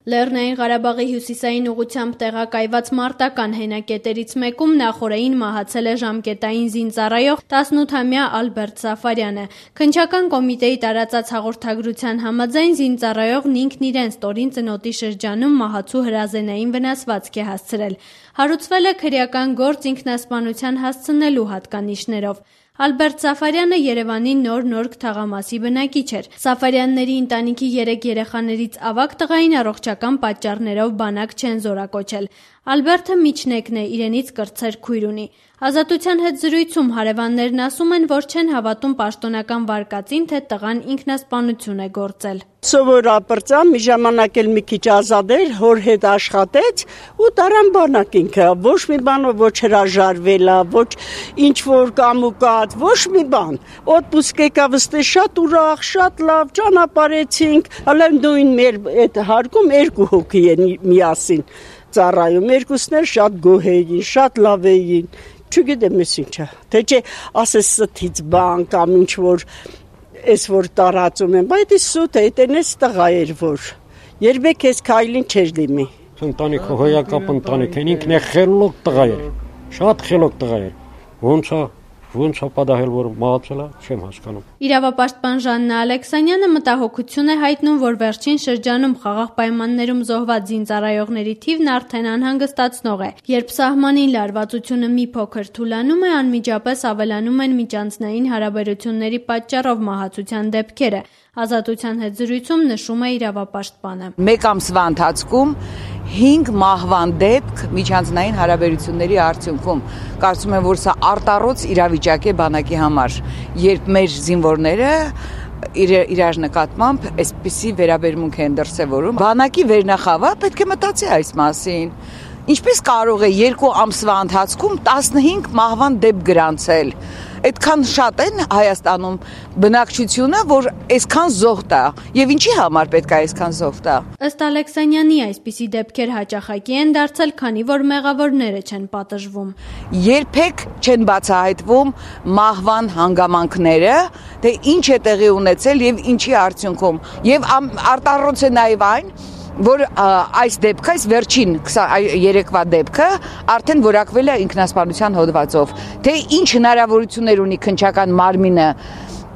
Լեռնային Ղարաբաղի հյուսիսային ուղղությամբ տեղակայված մարտական հենակետերից մեկում նախօրեին մահացել է ժամկետային զինծառայող 18-ամյա Ալբերտ Սաֆարյանը։ Քննչական կոմիտեի տարածած հաղորդագրության համաձայն զինծառայողն ինքն իրեն ստորին ծնոտի շրջանում մահացու հրազենային վնասվածք է հասցրել։ Հարուցվել է քրեական գործ ինքնասպանության հասցնելու հատկանիշներով։ Ալբերտ Սաֆարյանը Երևանի Նոր թաղամասի բնակիչ էր։ Սաֆարյանների ընտանիքի 3 երեխաներից ավագ տղային առողջական պատճառներով բանակ չեն զորակոչել։ Ալբերտը միջնեկն է, իրենից կրտսեր քույր ունի։ Ազատության հետ զրույցում հարևաններն ասում են, որ չեն հավատում պաշտոնական վարկածին, թե տղան ինքնասպանություն է գործել։ Սովորապրծան մի ժամանակ էլ մի քիչ ազատ էր, հոր հետ աշխատեց ու տարան բանակ ինքը, ոչ մի բանով ոչ հրաժարվել է, ոչ ինչ որ կամուկած, ոչ մի բան։ Օդպուսկ եկավ ստե շատ ուրախ, շատ լավ, ճանապարհեցինք, հələ նույն մեր այդ հարկում 2 հոգի են միասին ծառայում, երկուսն էլ շատ գոհ էին, շատ լավ էին, չգիտեմ ես ինչա, թե չէ ասես ստից բան կամ ինչ որ Ես որ տարածում եմ, բայց սուտ է, այդենես տղա էր որ, երբեք ես քայլին չեր դիմի։ Ընտանիքը հոյակապ ընտանիք են, ինքն է խելոք տղա էր, շատ խելոք տղա էր, ոնց է պատահել, որ մահացել է, չեմ հասկանում։ Իրավապաշտպան Ժաննա Ալեքսանյանը մտահոգություն է հայտնում, որ վերջին շրջանում խաղաղ պայմաններում զոհված զինծառայողների թիվն արդեն անհանգստացնող է։ Երբ սահմանին լարվածությունը մի փոքր թուլանում է, անմիջապես ավելանում են միջանձնային հարաբերությունների պատճառով մահացության դեպքերը։ Ազատության հետ զրույցում նշում է իրավապաշտպանը։ Մեկ ամսվա ընթացքում 5 մահվան դեպք միջանձնային հարաբերությունների արդյունքում։ Կարծում եմ, որ սա արտառոց իրավիճակ է բանակի համար, երբ մեր զինվորները իրար նկատմամբ այսպիսի վերաբերմունք են դրսևորում։ Բանակի վերնախավը պետք է մտածի այս մասին։ Ինչպես կարող է 2 ամսվա ընթացքում 15 մահվան դեպք գրանցել։ Այդքան շատ են Հայաստանում բնակչությունը, որ այսքան զոհ տա, եւ ինչի համար պետք է այսքան զոհ տա։ Ըստ Ալեքսանյանի այսպիսի դեպքեր հաճախակի են դարձել, քանի որ մեղավորները չեն պատժվում։ Երբեք չեն բացահայտվում մահվան հանգամանքները, թե ինչ է տեղի ունեցել եւ ինչի արդյունքում։ Եվ արտառոց է նաեւ այն, որ այս դեպքը, այս վերջին 23-վա դեպքը արդեն որակվել է ինքնասպանության հոդվածով, թե ինչ հնարավորություններ ունի քննչական մարմինը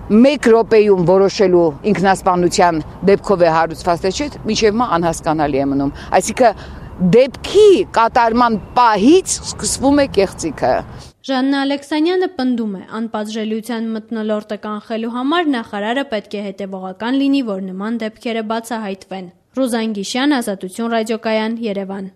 1 րոպեում որոշելու ինքնասպանության դեպքով է հարուցված, թե չէ, մինչև հիմա անհասկանալի է մնում։ Այսինքն դեպքի կատարման պահից սկսվում է կեղծիքը։ Ժաննա Ալեքսանյանը պնդում է, անպատժելիության մթնոլորտը կանխելու համար նախարարը պետք է հետևողական լինի, որ նման դեպքերը բացահայտվեն։ Ռուզան Գիշյան, Ազատություն ռադիոկայան, Երևան։